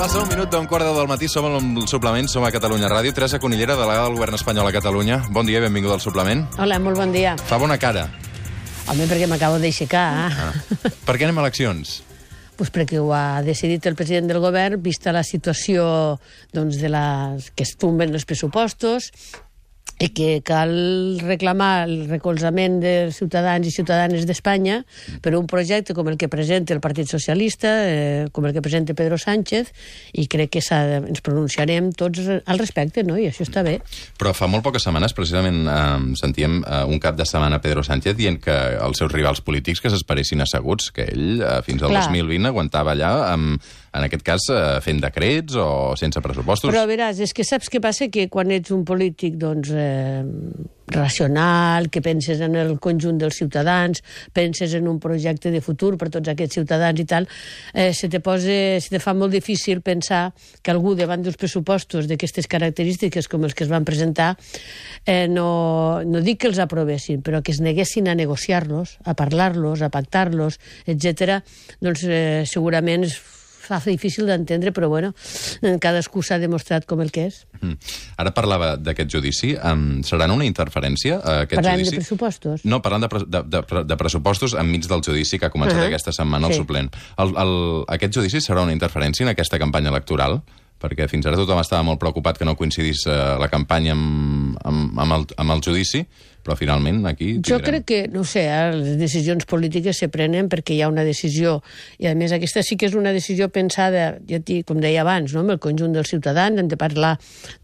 Passa un minut d'un quart de 10 del matí, som al suplement, som a Catalunya Ràdio. Teresa Conillera, delegada del govern espanyol a Catalunya. Bon dia i benvinguda al suplement. Hola, molt bon dia. Fa bona cara. Home, perquè m'acabo d'aixecar. Per què anem a eleccions? Pues perquè ho ha decidit el president del govern, vista la situació doncs, que es tomben els pressupostos i que cal reclamar el recolzament dels ciutadans i ciutadanes d'Espanya per un projecte com el que presenta el Partit Socialista, com el que presenta Pedro Sánchez, i crec que ens pronunciarem tots al respecte, no? I això està bé. Però fa molt poques setmanes, precisament, sentíem un cap de setmana Pedro Sánchez dient que els seus rivals polítics que s'esperessin asseguts, que ell fins al 2020 aguantava allà, en aquest cas, fent decrets o sense pressupostos. Però veràs, és que saps què passa? Que quan ets un polític, doncs, racional, que penses en el conjunt dels ciutadans, penses en un projecte de futur per tots aquests ciutadans i tal, se te fa molt difícil pensar que algú davant dels pressupostos d'aquestes característiques com els que es van presentar no dic que els aprovessin, però que es neguessin a negociar-los, a parlar-los, a pactar-los, etc. Doncs segurament es fa difícil d'entendre, però bueno, cadascú s'ha demostrat com el que és. Ara parlava d'aquest judici. Seran una interferència, aquest Parlant judici? De pressupostos? No, parlant de pressupostos enmig del judici que ha començat aquesta setmana, el suplent. Aquest judici serà una interferència en aquesta campanya electoral? Perquè fins ara tothom estava molt preocupat que no coincidís la campanya amb el judici, però finalment aquí tindrem... Jo crec que, no sé, les decisions polítiques se prenen perquè hi ha una decisió, i a més aquesta sí que és una decisió pensada, com deia abans, no? Amb el conjunt dels ciutadans, hem de parlar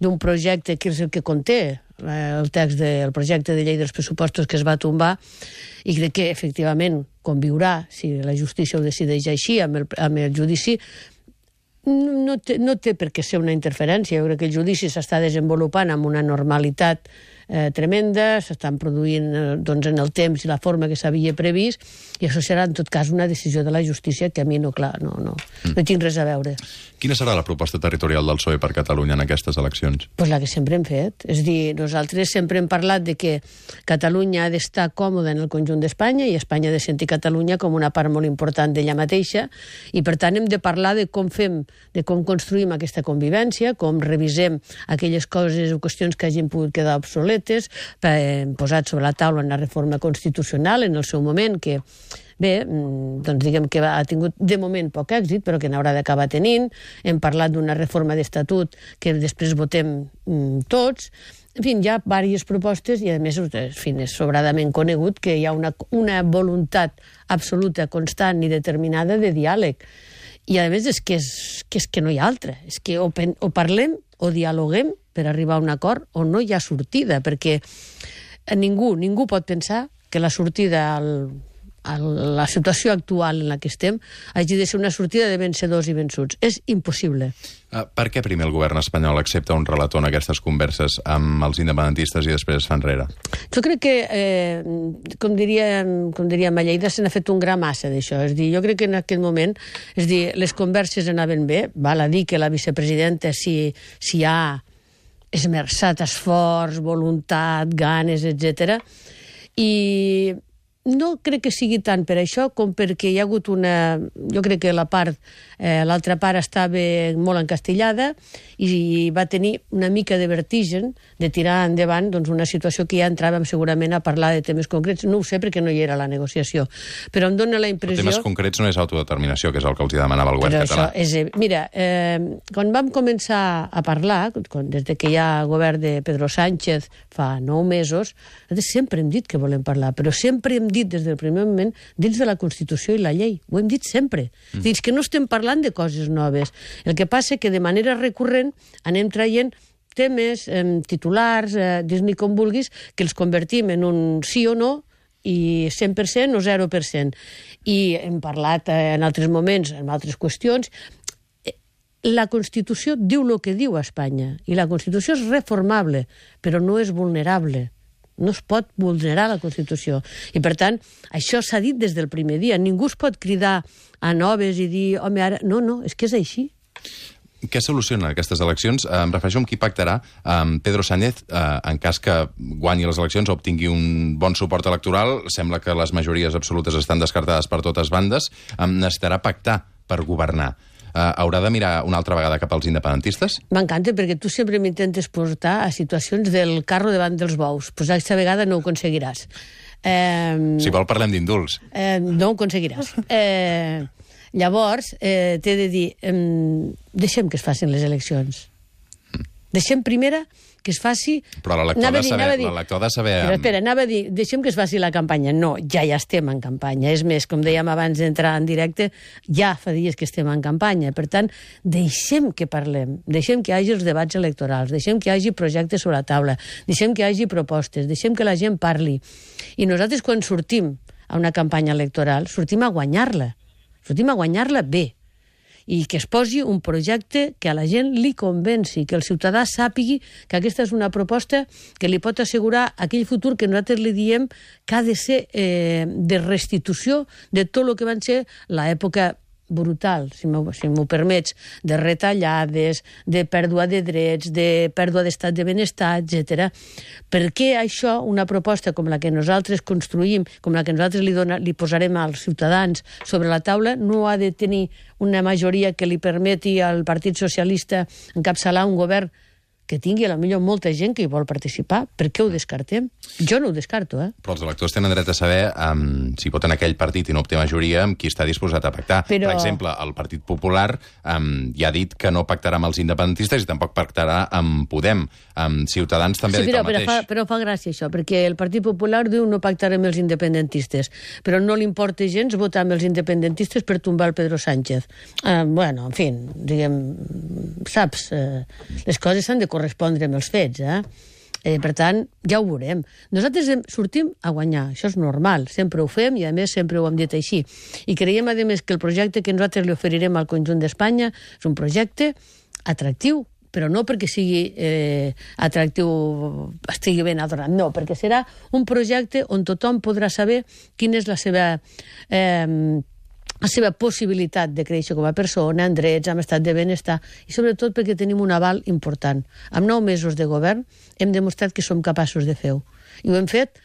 d'un projecte que és el que conté el text del projecte de llei dels pressupostos que es va tombar, i crec que efectivament conviurà, si la justícia ho decideix així, amb el judici. No té per què ser una interferència. Jo crec que el judici s'està desenvolupant amb una normalitat tremenda, s'estan produint doncs, en el temps i la forma que s'havia previst, i això serà en tot cas una decisió de la justícia que a mi no hi tinc res a veure. Quina serà la proposta territorial del PSOE per Catalunya en aquestes eleccions? Pues la que sempre hem fet. És a dir, nosaltres sempre hem parlat de que Catalunya ha d'estar còmoda en el conjunt d'Espanya i Espanya ha de sentir Catalunya com una part molt important d'ella mateixa, i per tant hem de parlar de com fem, de com construïm aquesta convivència, com revisem aquelles coses o qüestions que hagin pogut quedar obsoletes, posat sobre la taula una reforma constitucional en el seu moment, que bé, doncs diguem que ha tingut de moment poc èxit, però que n'haurà d'acabar tenint. Hem parlat d'una reforma d'estatut que després votem tots. En fi, hi ha diverses propostes i, a més, és sobradament conegut que hi ha una voluntat absoluta, constant i determinada de diàleg. I, a més, és que no hi ha altra. És que o parlem o dialoguem per arribar a un acord o no hi ha sortida, perquè ningú pot pensar que la sortida a la situació actual en la que estem hagi de ser una sortida de vencedors i vençuts. És impossible. Per què primer el govern espanyol accepta un relator en aquestes converses amb els independentistes i després es fa enrere? Jo crec que, com diríem a Lleida, se n'ha fet un gra massa d'això. És dir, jo crec que en aquest moment, és dir, les converses anaven bé, val a dir que la vicepresidenta s'hi ha esmerçat esforç, voluntat, ganes, etc. I no crec que sigui tant per això com perquè hi ha hagut jo crec que l'altra part estava molt encastillada i va tenir una mica de vertigen de tirar endavant doncs, una situació que ja entràvem segurament a parlar de temes concrets. No ho sé perquè no hi era la negociació, però em dóna la impressió... Els temes concrets no és autodeterminació, que és el que els demanava el govern català. Mira, quan vam començar a parlar, des que hi ha govern de Pedro Sánchez fa 9 mesos, sempre hem dit que volem parlar, però sempre hem dit des del primer moment dins de la Constitució i la llei. Ho hem dit sempre. Dins que no estem parlant de coses noves. El que passa que de manera recurrent anem traient temes, titulars, dis-ne com vulguis, que els convertim en un sí o no, i 100% o 0%. I hem parlat en altres moments, en altres qüestions. La Constitució diu el que diu a Espanya, i la Constitució és reformable, però no és vulnerable. No es pot vulnerar la Constitució. I, per tant, això s'ha dit des del primer dia. Ningú es pot cridar a noves i dir, home, ara... No, és que és així. Què soluciona aquestes eleccions? Em refereixo amb qui pactarà Pedro Sánchez en cas que guanyi les eleccions o obtingui un bon suport electoral. Sembla que les majories absolutes estan descartades per totes bandes. Necessitarà pactar per governar. haurà de mirar una altra vegada cap als independentistes? M'encanta, perquè tu sempre m'intentes portar a situacions del carro davant dels bous. Pues aquesta vegada no ho aconseguiràs. Si vol, parlem d'indults. No ho aconseguiràs. Llavors, t'he de dir, deixem que es facin les eleccions. Deixem primera que es faci... Però l'elector ha de saber... Però espera, anava a dir, deixem que es faci la campanya. No, ja estem en campanya. És més, com dèiem abans d'entrar en directe, ja fa dies que estem en campanya. Per tant, deixem que parlem, deixem que hi hagi els debats electorals, deixem que hi hagi projectes sobre la taula, deixem que hi hagi propostes, deixem que la gent parli. I nosaltres, quan sortim a una campanya electoral, sortim a guanyar-la. Sortim a guanyar-la bé. I que es posi un projecte que a la gent li convenci, que el ciutadà sàpigui que aquesta és una proposta que li pot assegurar aquell futur que nosaltres li diem que ha de ser de restitució de tot el que van ser l'època brutal, si m'ho permets, de retallades, de pèrdua de drets, de pèrdua d'estat de benestar, etc. Per què això, una proposta com la que nosaltres construïm, com la que nosaltres li posarem als ciutadans sobre la taula, no ha de tenir una majoria que li permeti al Partit Socialista encapçalar un govern que tingui a la millor molta gent que hi vol participar? Per què ho descartem? Jo no ho descarto, Però els electors tenen dret a saber si voten aquell partit i no obté majoria amb qui està disposat a pactar. Per exemple, el Partit Popular ja ha dit que no pactarà amb els independentistes i tampoc pactarà amb Podem. Ciutadans també ha dit el mateix. Però fa gràcia això, perquè el Partit Popular diu no pactarà amb els independentistes, però no li importa gens votar amb els independentistes per tombar el Pedro Sánchez. Bueno, en fi, diguem, saps, les coses s'han de correspondre amb els fets, per tant, ja ho veurem. Nosaltres sortim a guanyar, això és normal, sempre ho fem i a més sempre ho hem dit així. I creiem, a més, que el projecte que nosaltres li oferirem al conjunt d'Espanya és un projecte atractiu, però no perquè sigui atractiu, estigui ben adornat, no, perquè serà un projecte on tothom podrà saber quina és la seva possibilitat de créixer com a persona, en drets, en estat de benestar, i sobretot perquè tenim un aval important. Amb 9 mesos de govern hem demostrat que som capaços de fer-ho. I ho hem fet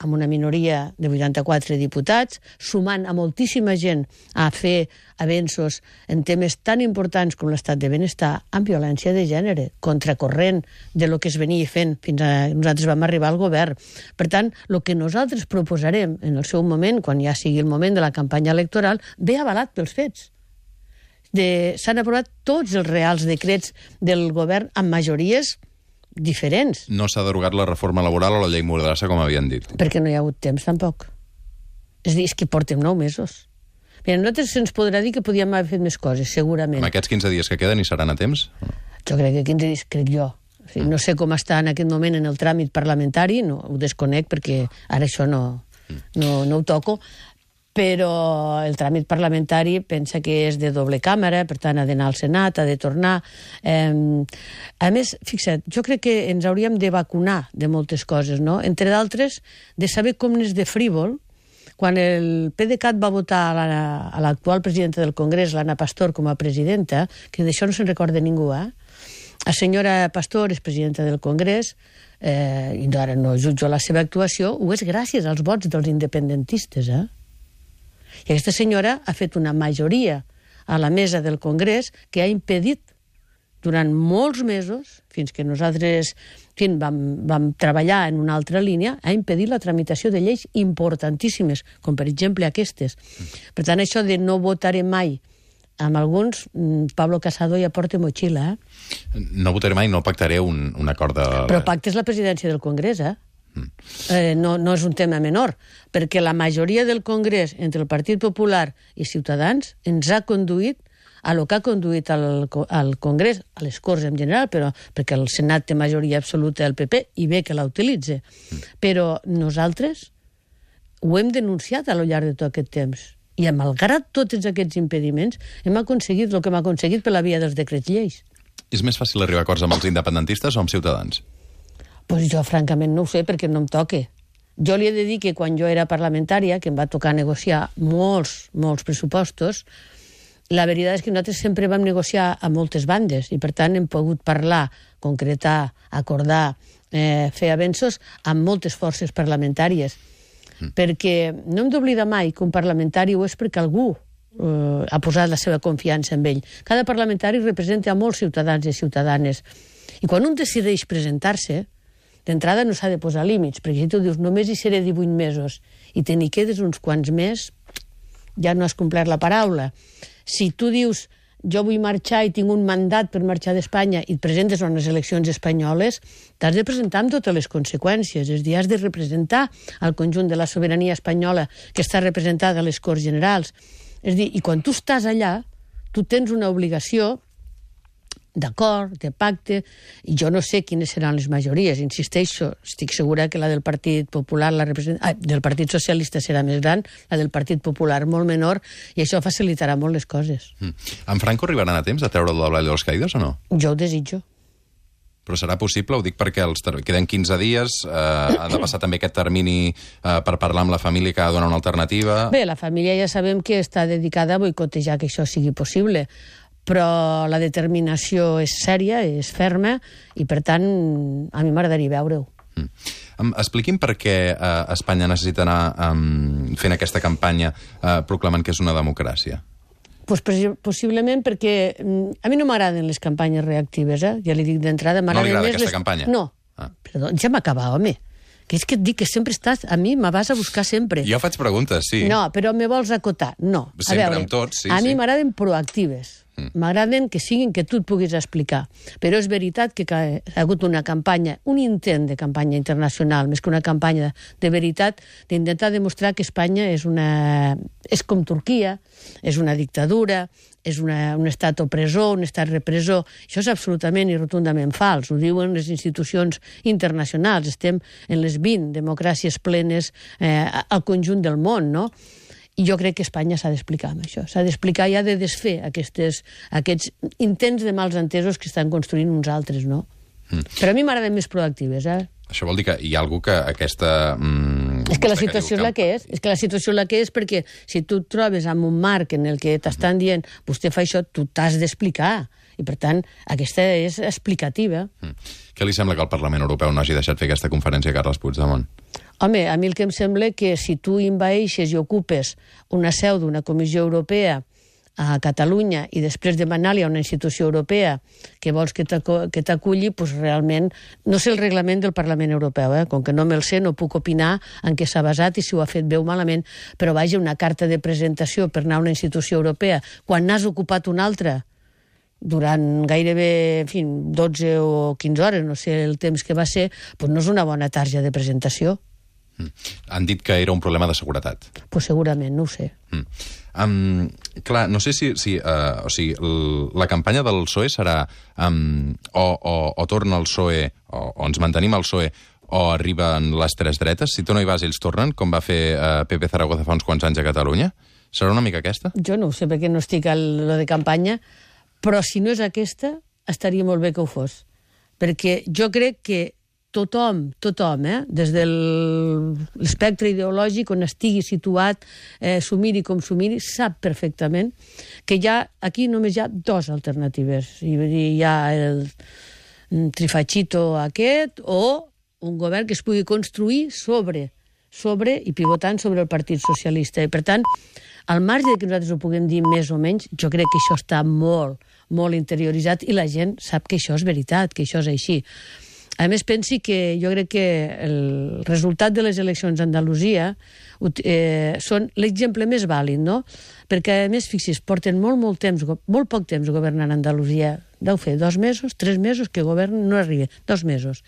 amb una minoria de 84 diputats, sumant a moltíssima gent a fer avenços en temes tan importants com l'estat de benestar, amb violència de gènere, contracorrent de lo que es venia fent fins a nosaltres vam arribar al govern. Per tant, el que nosaltres proposarem en el seu moment, quan ja sigui el moment de la campanya electoral, ve avalat pels fets. S'han aprovat tots els reals decrets del govern amb majories diferents. No s'ha derogat la reforma laboral o la llei Mordassa, com havien dit. Perquè no hi ha hagut temps, tampoc. És a dir, és que portem 9 mesos. Mira, nosaltres se'ns podrà dir que podíem haver fet més coses, segurament. Amb aquests 15 dies que queden hi seran a temps? Jo crec que 15 dies, crec jo. O sigui, no sé com està en aquest moment en el tràmit parlamentari, no, ho desconec perquè ara això no ho toco, però el tràmit parlamentari pensa que és de doble càmera, per tant ha d'anar al Senat, ha de tornar. A més, fixa't, jo crec que ens hauríem de vacunar de moltes coses, no? Entre d'altres, de saber com n'és de frívol. Quan el PDeCAT va votar a l'actual presidenta del Congrés, l'Anna Pastor, com a presidenta, que d'això no se'n recorda ningú, La senyora Pastor és presidenta del Congrés, i ara no jutjo la seva actuació, ho és gràcies als vots dels independentistes, I aquesta senyora ha fet una majoria a la mesa del Congrés que ha impedit durant molts mesos, fins que nosaltres vam treballar en una altra línia, ha impedit la tramitació de lleis importantíssimes, com per exemple aquestes. Per tant, això de no votaré mai amb alguns, Pablo Casado ja porta motxilla, No votaré mai, no pactaré un acord de... Però pactes la presidència del Congrés, no és un tema menor, perquè la majoria del Congrés entre el Partit Popular i Ciutadans ens ha conduït a lo que ha conduït al Congrés, a les Corts en general, però perquè el Senat té majoria absoluta del PP i bé que la utilitza. Però nosaltres ho hem denunciat a lo llarg de tot aquest temps. I malgrat tots aquests impediments hem aconseguit el que hem aconseguit per la via dels decrets lleis. És més fàcil arribar a acords amb els independentistes o amb Ciutadans? Pues jo, francament, no ho sé, perquè no em toque. Jo li he de dir que quan jo era parlamentària, que em va tocar negociar molts pressupostos, la veritat és que nosaltres sempre vam negociar a moltes bandes i, per tant, hem pogut parlar, concretar, acordar, fer avenços amb moltes forces parlamentàries. Perquè no hem d'oblidar mai que un parlamentari ho és perquè algú ha posat la seva confiança en ell. Cada parlamentari representa a molts ciutadans i ciutadanes. I quan un decideix presentar-se, d'entrada no s'ha de posar límits, perquè si tu dius només hi seré 18 mesos i te n'hi quedes uns quants més, ja no has complert la paraula. Si tu dius jo vull marxar i tinc un mandat per marxar d'Espanya i et presentes a unes eleccions espanyoles, t'has de presentar amb totes les conseqüències. És a dir, has de representar el conjunt de la sobirania espanyola que està representada a les Corts Generals. És a dir, i quan tu estàs allà, tu tens una obligació d'acord, de pacte, i jo no sé quines seran les majories, insisteixo, estic segura que la del Partit Popular, del Partit Socialista serà més gran, la del Partit Popular molt menor, i això facilitarà molt les coses. En Franco arribaran a temps a treure'l del Valle de los Caídos o no? Jo ho desitjo. Però serà possible? Ho dic perquè queden 15 dies, ha de passar també aquest termini per parlar amb la família que ha de donar una alternativa. Bé, la família ja sabem que està dedicada a boicotejar que això sigui possible, però la determinació és sèria, és ferma, i per tant a mi m'agradaria veure-ho. Expliqui'm per què Espanya necessita anar fent aquesta campanya proclamant que és una democràcia. Pues possiblement perquè a mi no m'agraden les campanyes reactives, ja li dic d'entrada. No li agrada aquesta campanya? No, perdó, ja m'acaba, home. Que és que et dic que sempre estàs... A mi me vas a buscar sempre. Jo faig preguntes, sí. No, però me vols acotar. No. Sempre amb tots, sí. A mi m'agraden proactives. M'agraden que siguin que tu et puguis explicar. Però és veritat que ha hagut una campanya, un intent de campanya internacional, més que una campanya de veritat, d'intentar demostrar que Espanya és com Turquia, és una dictadura, és un estat opressor, un estat repressor. Això és absolutament i rotundament fals. Ho diuen les institucions internacionals. Estem en les 20 democràcies plenes al conjunt del món, no? I jo crec que Espanya s'ha d'explicar amb això. S'ha d'explicar i ha de desfer aquests intents de mals entesos que estan construint uns altres, no? Però a mi m'agraden més proactives, Això vol dir que hi ha algú que aquesta... És que la situació és la que és. És que la situació és la que és perquè si tu et trobes en un marc en el que t'estan dient vostè fa això, tu t'has d'explicar. I, per tant, aquesta és explicativa. Què li sembla que el Parlament Europeu no hagi deixat fer aquesta conferència a Carles Puigdemont? Home, a mi el que em sembla que si tu envaeixes i ocupes una seu d'una Comissió Europea a Catalunya i després demanar-li a una institució europea que vols que t'aculli, doncs realment no sé el reglament del Parlament Europeu, com que no me'l sé, no puc opinar en què s'ha basat i si ho ha fet bé o malament, però vaja, una carta de presentació per anar a una institució europea quan n'has ocupat una altra durant gairebé, en fi, 12 o 15 hores, no sé el temps que va ser, doncs no és una bona tarja de presentació. Han dit que era un problema de seguretat. Pues segurament, no ho sé. Clar, no sé si o sigui, la campanya del PSOE serà o torna el PSOE o ens mantenim al PSOE o arriben les tres dretes. Si tu no hi vas, ells tornen, com va fer Pepe Zaragoza fa uns quants anys a Catalunya. Serà una mica aquesta? Jo no ho sé, perquè no estic a lo de campanya, però si no és aquesta, estaria molt bé que ho fos. Perquè jo crec que tothom, des de l'espectre ideològic on estigui situat, s'ho miri com s'ho miri, sap perfectament que aquí només hi ha dues alternatives. Hi ha el trifachito aquest o un govern que es pugui construir sobre i pivotant sobre el Partit Socialista. I, per tant, al marge que nosaltres ho puguem dir més o menys, jo crec que això està molt, molt interioritzat i la gent sap que això és veritat, que això és així. A més, pensi que jo crec que el resultat de les eleccions a Andalusia són l'exemple més vàlid, no? Perquè, a més, fixi's, porten molt poc temps governant a Andalusia. Deu fer 2 mesos, 3 mesos que governen, no arriba, 2 mesos.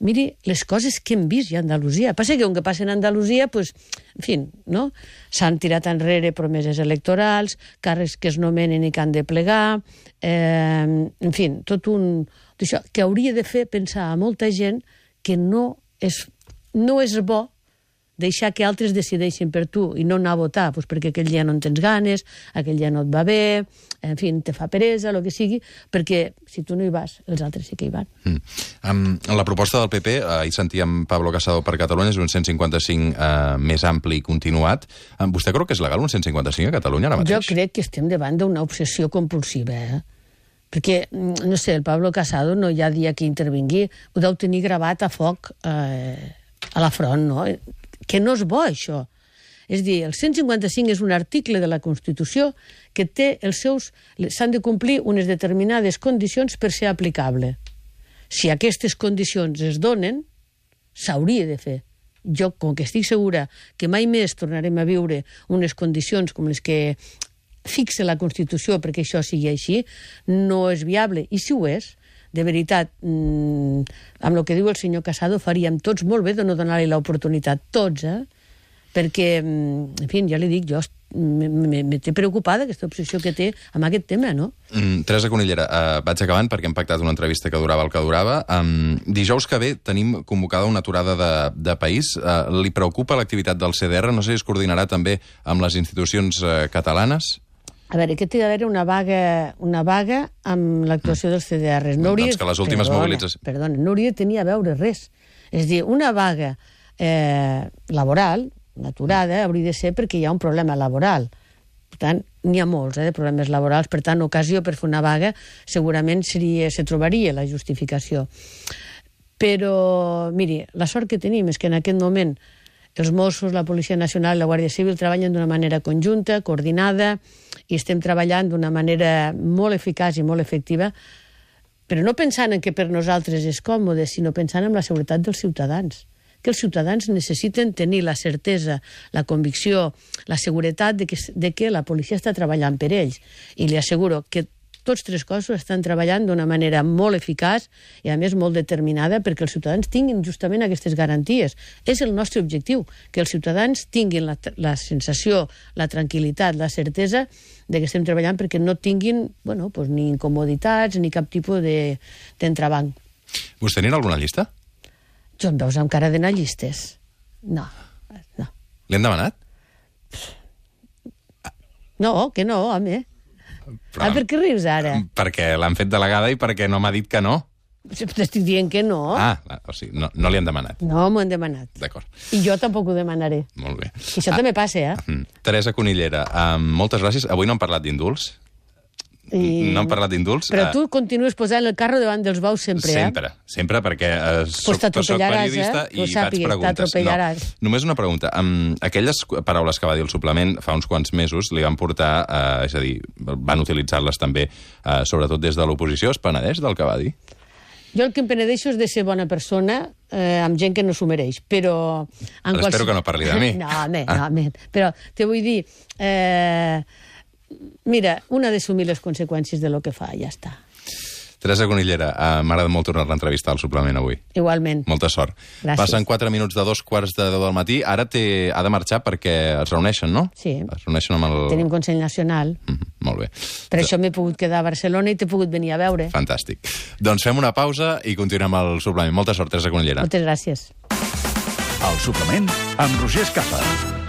Miri les coses que hem vist ja a Andalusia. Passa que, que passa a Andalusia, pues, en fi, no? S'han tirat enrere promeses electorals, càrrecs que es nomenen i que han de plegar, en fi, tot un... Això, que hauria de fer pensar a molta gent que no és bo deixar que altres decideixin per tu i no anar a votar, doncs perquè aquell dia no en tens ganes, aquell dia no et va bé, en fi, te fa peresa, el que sigui, perquè si tu no hi vas, els altres sí que hi van. La proposta del PP, ahir sentíem Pablo Casado per Catalunya, és un 155 més ampli i continuat. Vostè creu que és legal un 155 a Catalunya ara mateix? Jo crec que estem davant d'una obsessió compulsiva, perquè, no sé, el Pablo Casado no hi ha dia que intervingui, ho deu tenir gravat a foc a la front, no? Que no és bo, això. És a dir, el 155 és un article de la Constitució que té s'han de complir unes determinades condicions per ser aplicable. Si aquestes condicions es donen, s'hauria de fer. Jo, com que estic segura que mai més tornarem a viure unes condicions com les que fixa la Constitució perquè això sigui així, no és viable. I si ho és, de veritat, amb el que diu el senyor Casado, faríem tots molt bé de no donar-li l'oportunitat. Tots, perquè, en fi, ja li dic, jo me té preocupada aquesta obsessió que té amb aquest tema, no? Teresa Conillera, vaig acabant perquè hem pactat una entrevista que durava el que durava. Dijous que ve tenim convocada una aturada de país. Li preocupa l'activitat del CDR? No sé si es coordinarà també amb les institucions catalanes? A veure, que té d'haver una vaga amb l'actuació dels CDRs. No hauria, doncs que les últimes mobilitzacions... Perdona, no hauria de tenir a veure res. És a dir, una vaga laboral, una aturada, hauria de ser perquè hi ha un problema laboral. Per tant, n'hi ha molts de problemes laborals, per tant, ocasió per fer una vaga segurament se trobaria la justificació. Però, miri, la sort que tenim és que en aquest moment els Mossos, la Policia Nacional i la Guàrdia Civil treballen d'una manera conjunta, coordinada, i estem treballant d'una manera molt eficaç i molt efectiva, però no pensant en que per nosaltres és còmode, sinó pensant en la seguretat dels ciutadans. Que els ciutadans necessiten tenir la certesa, la convicció, la seguretat de que la policia està treballant per ells. I li asseguro que tots tres cossos estan treballant d'una manera molt eficaç i, a més, molt determinada perquè els ciutadans tinguin justament aquestes garanties. És el nostre objectiu, que els ciutadans tinguin la sensació, la tranquil·litat, la certesa de que estem treballant perquè no tinguin ni incomoditats ni cap tipus d'entrebanc. Vostè anirà a alguna llista? Jo em veus amb cara d'anar a llistes? No. Li han demanat? No, que no, home. Però, per què rius ara? Perquè l'han fet delegada i perquè no m'ha dit que no. T'estic dient que no. O sigui, no li han demanat. No m'ho han demanat. D'acord. I jo tampoc ho demanaré. Molt bé. I això també passa, Teresa Conillera, moltes gràcies. Avui no hem parlat d'indults. No hem parlat d'indults. Però tu continues posant el carro davant dels bous sempre, Sempre, perquè soc periodista i faig preguntes. No, només una pregunta. Aquelles paraules que va dir el suplement fa uns quants mesos li van portar, és a dir, van utilitzar-les també, sobretot des de l'oposició. Es penedeix del que va dir? Jo el que em penedeixo és de ser bona persona amb gent que no s'ho mereix, però... Espero que no parli de mi. No, però te vull dir... Mira, un ha d'assumir les conseqüències de lo que fa, ja està. Teresa Conillera, m'ha agradat molt tornar-la a entrevistar al suplement avui. Igualment. Molta sort. Gràcies. Passen 4 minuts de 2:15 del matí. Ara ha de marxar perquè es reuneixen, no? Sí. Es reuneixen amb el... Tenim Consell Nacional. Molt bé. Per això m'he pogut quedar a Barcelona i t'he pogut venir a veure. Fantàstic. Doncs fem una pausa i continuem el suplement. Molta sort, Teresa Conillera. Moltes gràcies. El suplement amb Roger Escapa.